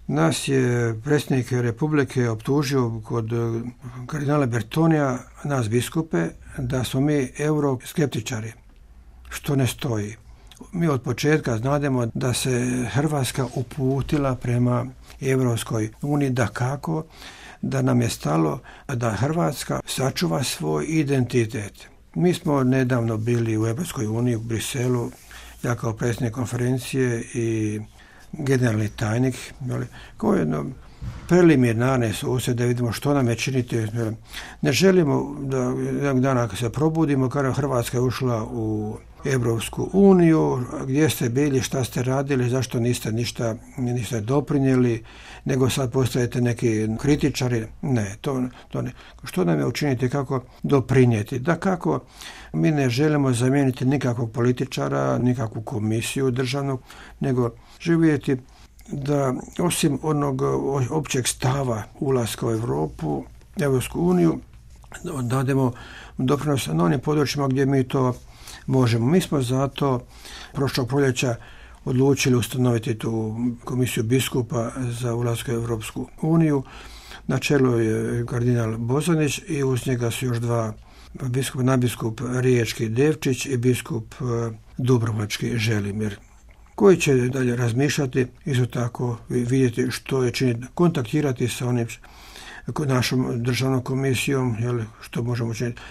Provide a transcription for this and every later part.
Nas je predsjednik Republike optužio kod kardinala Bertonija, nas biskupe, da smo mi euroskeptičari, što ne stoji. Mi od početka znademo da se Hrvatska uputila prema Europskoj uniji, dakako da nam je stalo da Hrvatska sačuva svoj identitet. Mi smo nedavno bili u Europskoj uniji u Briselu, ja kao predsjednik konferencije i generalni tajnik, kao jedno preliminarne susjede da vidimo što nam je činiti. Ne želimo da jednog dana kad se probudimo, kada Hrvatska je ušla u Europsku uniju, gdje ste bili, šta ste radili, zašto niste ništa doprinijeli, nego sad postajete neki kritičari. Ne, to ne. Što nam je učiniti, kako doprinijeti? Da kako mi ne želimo zamijeniti nikakvog političara, nikakvu komisiju državnog, nego živjeti da osim onog općeg stava ulaska u Europu, Europsku uniju, dademo doprinos na onim područjima gdje mi to možemo. Mi smo zato prošlog proljeća odlučili ustanoviti tu komisiju biskupa za ulazak u Europsku uniju. Na čelu je kardinal Bozanić i uz njega su još dva biskupa, nadbiskup Riječki Devčić i biskup Dubrovački Želimir, koji će dalje razmišljati, isto tako vidjeti što je činiti, kontaktirati sa onim našom državnom komisijom, što možemo činiti,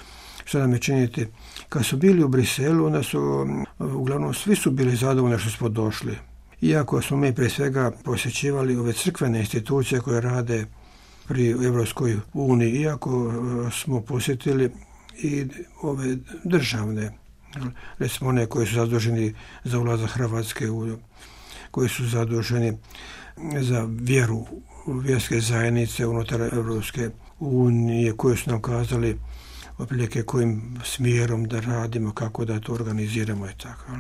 što nam je činiti. Kad su bili u Briselu, onda su, uglavnom, svi su bili zadovoljni što smo došli. Iako smo mi prije svega posjećivali ove crkvene institucije koje rade pri Europskoj uniji, iako smo posjetili i ove državne, recimo one koji su zaduženi za ulazak Hrvatske, koji su zaduženi za vjeru, vjerske zajednice unutar Europske unije, koji su nam kazali otprilike kojim smjerom da radimo, kako da to organiziramo i tako.